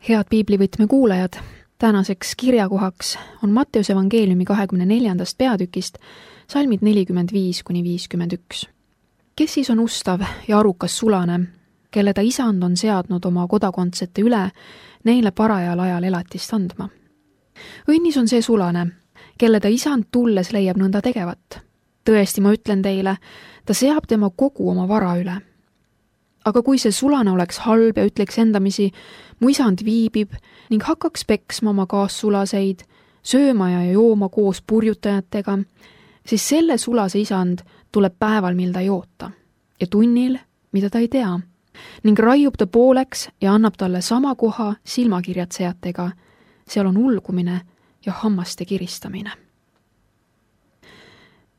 Head piiblivõtme kuulajad, tänaseks kirjakohaks on Matteuse evangeeliumi 24. peatükist salmid 45–51. Kes siis on ustav ja arukas sulane, kelle ta isand on seadnud oma kodakondsete üle neile parajal ajal elatist andma? Õnnis on see sulane, kelle ta isand tulles leiab nõnda tegevat. Tõesti, ma ütlen teile, ta seab tema kogu oma vara üle. Aga kui see sulane oleks halb ja ütleks endamisi, mu isand viibib ning hakkaks peksma oma kaassulaseid, sööma ja jooma koos purjutajatega, siis selle sulase isand tuleb päeval, mil ta ei oota, ja tunnil, mida ta ei tea, ning raiub ta pooleks ja annab talle sama koha silmakirjatsejatega. Seal on ulgumine ja hammaste kiristamine.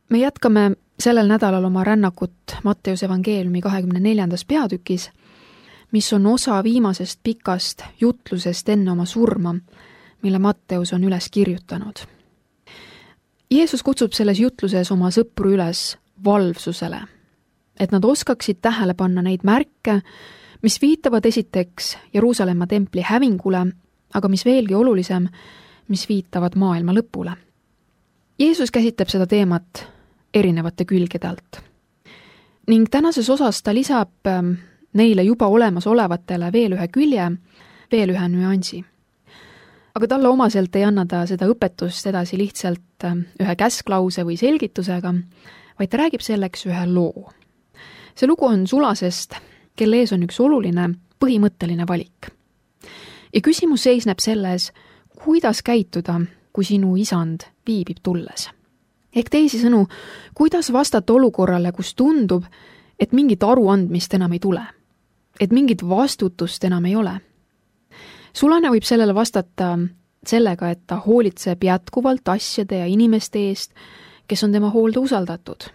Me jätkame sellel nädalal oma rännakut Matteuse evangeeliumi 24. peatükis, mis on osa viimasest pikast jutlusest enne oma surma, mille Matteus on üles kirjutanud. Jeesus kutsub selles jutluses oma sõpru üles valvsusele, et nad oskaksid tähele panna neid märke, mis viitavad esiteks Jeruusalemma templi hävingule, aga mis veelgi olulisem, mis viitavad maailma lõpule. Jeesus käsitleb seda teemat erinevate külgede alt. Ning tänases osas ta lisab neile juba olemas olevatele veel ühe külje, veel ühe nüansi. Aga talle omaselt ei anna ta seda õpetust edasi lihtsalt ühe käsklause või selgitusega, vaid ta räägib selleks ühe loo. See lugu on sulasest, kelle ees on üks oluline, põhimõtteline valik. Ja küsimus seisneb selles, kuidas käituda, kui sinu isand viibib tulles. Ehk teisisõnu, kuidas vastata olukorrale, kus tundub, et mingit aruandmist enam ei tule, et mingit vastutust enam ei ole. Sulane võib sellele vastata sellega, et ta hoolitseb jätkuvalt asjade ja inimeste eest, kes on tema hoolde usaldatud.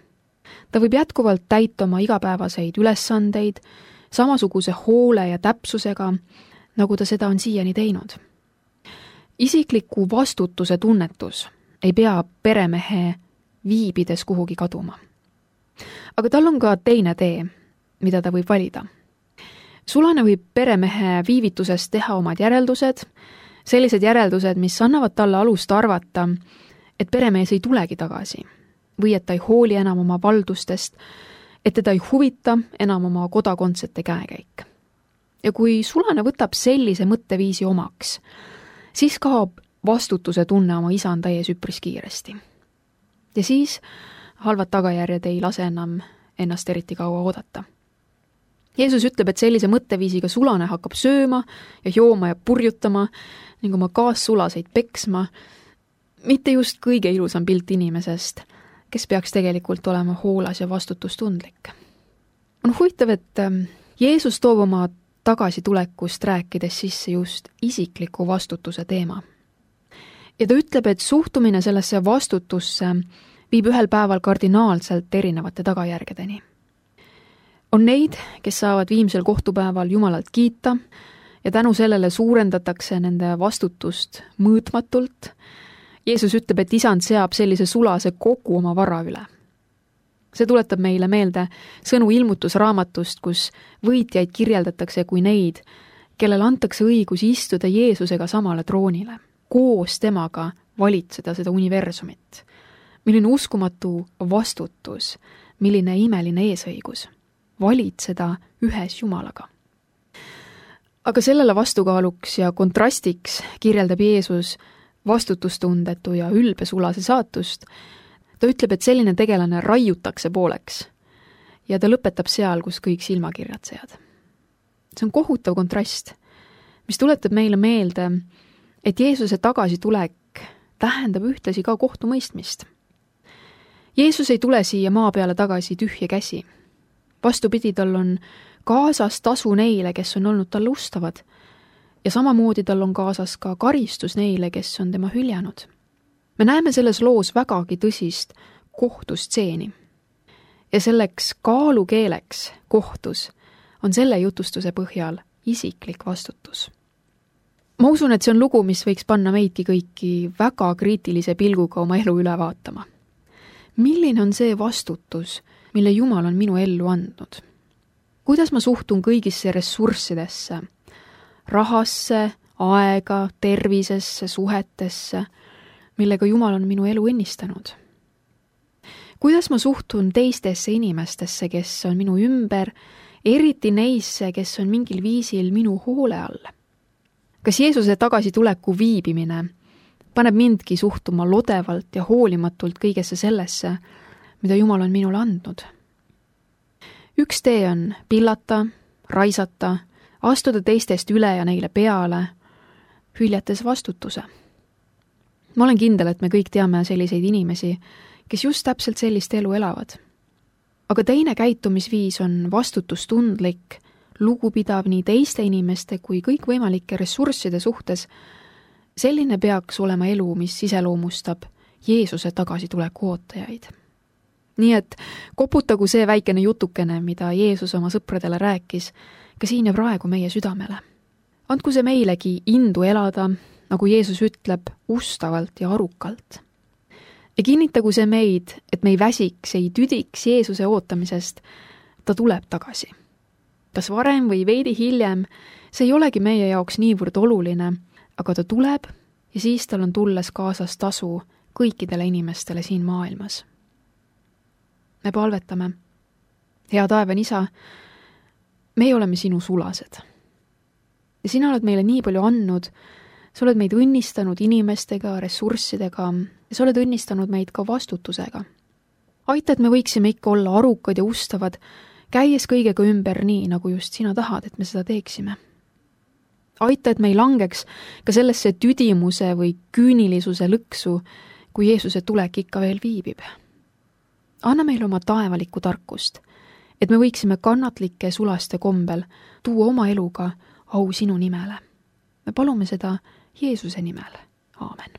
Ta võib jätkuvalt täita oma igapäevaseid ülesandeid samasuguse hoole ja täpsusega, nagu ta seda on siiani teinud. Isikliku vastutuse tunnetus ei pea peremehe viibides kuhugi kaduma. Aga tal on ka teine tee, mida ta võib valida. Sulane võib peremehe viivitusest teha omad järeldused, sellised järeldused, mis annavad talle alust arvata, et peremees ei tulegi tagasi või et ta ei hooli enam oma valdustest, et teda ei huvita enam oma kodakondsete käekäik. Ja kui sulane võtab sellise mõtteviisi omaks, siis kaob vastutuse tunne oma isanda ees üpris kiiresti. Ja siis halvad tagajärjed ei lase enam ennast eriti kaua oodata. Jeesus ütleb, et sellise mõtteviisiga sulane hakkab sööma ja jooma ja purjutama ning oma kaassulaseid peksma, mitte just kõige ilusam pilt inimesest, kes peaks tegelikult olema hoolas ja vastutustundlik. On huvitav, et Jeesus toob oma tagasitulekust rääkides sisse just isikliku vastutuse teema. Ja ta ütleb, et suhtumine sellesse vastutusse viib ühel päeval kardinaalselt erinevate tagajärgedeni. On neid, kes saavad viimsel kohtupäeval Jumalalt kiita ja tänu sellele suurendatakse nende vastutust mõõtmatult. Jeesus ütleb, et isand seab sellise sulase kogu oma vara üle. See tuletab meile meelde sõnu ilmutusraamatust, kus võitjaid kirjeldatakse kui neid, kellel antakse õigus istuda Jeesusega samale troonile, koos temaga valitseda seda universumit. Milline uskumatu vastutus, milline imeline eesõigus, valitseda ühes Jumalaga. Aga sellele vastukaaluks ja kontrastiks kirjeldab Jeesus vastutustundetu ja ülbesulase saatust. Ta ütleb, et selline tegelane raiutakse pooleks ja ta lõpetab seal, kus kõik silmakirjatsejad. See on kohutav kontrast, mis tuletab meile meelde, et Jeesuse tagasitulek tähendab ühtlasi ka kohtumõistmist. Jeesus ei tule siia maa peale tagasi tühja käsi. Vastupidi, tal on kaasas tasu neile, kes on olnud talle ustavad, ja samamoodi tal on kaasas ka karistus neile, kes on tema hüljanud. Me näeme selles loos vägagi tõsist kohtustseeni. Ja selleks kaalukeeleks kohtus on selle jutustuse põhjal isiklik vastutus. Ma usun, et see on lugu, mis võiks panna meidki kõiki väga kriitilise pilguga oma elu üle vaatama. Milline on see vastutus, mille Jumal on minu ellu andnud? Kuidas ma suhtun kõigisse ressurssidesse, rahasse, aega, tervisesse, suhetesse, millega Jumal on minu elu õnnistanud. Kuidas ma suhtun teistesse inimestesse, kes on minu ümber, eriti neisse, kes on mingil viisil minu hoole all? Kas Jeesuse tagasituleku viibimine paneb mindki suhtuma lodevalt ja hoolimatult kõigesse sellesse, mida Jumal on minule andnud? Üks tee on pillata, raisata, astuda teistest üle ja neile peale, hüljates vastutuse. Ma olen kindel, et me kõik teame selliseid inimesi, kes just täpselt sellist elu elavad. Aga teine käitumisviis on vastutustundlik, lugupidav nii teiste inimeste kui kõikvõimalike ressursside suhtes. Selline peaks olema elu, mis iseloomustab Jeesuse tagasituleku ootajaid. Nii et koputagu see väikene jutukene, mida Jeesus oma sõpradele rääkis, ka siin ja praegu meie südamele. Andku see meilegi indu elada, nagu Jeesus ütleb, ustavalt ja arukalt. Ja kinnitagu see meid, et me ei väsiks, ei tüdiks Jeesuse ootamisest, ta tuleb tagasi. Kas varem või veidi hiljem, see ei olegi meie jaoks niivõrd oluline, aga ta tuleb ja siis tal on tulles kaasas tasu kõikidele inimestele siin maailmas. Me palvetame. Hea taevane Isa, meie oleme sinu sulased. Ja sina oled meile nii palju andnud, sa oled meid õnnistanud inimestega, ressurssidega, ja sa oled õnnistanud meid ka vastutusega. Aita, et me võiksime ikka olla arukad ja ustavad, käies kõigega ümber nii, nagu just sina tahad, et me seda teeksime. Aita, et me ei langeks ka sellesse tüdimuse või küünilisuse lõksu, kui Jeesuse tulek ikka veel viibib. Anna meile oma taevalikku tarkust, et me võiksime kannatlike sulaste kombel tuua oma eluga au sinu nimele. Me palume seda Jeesuse nimel. Aamen.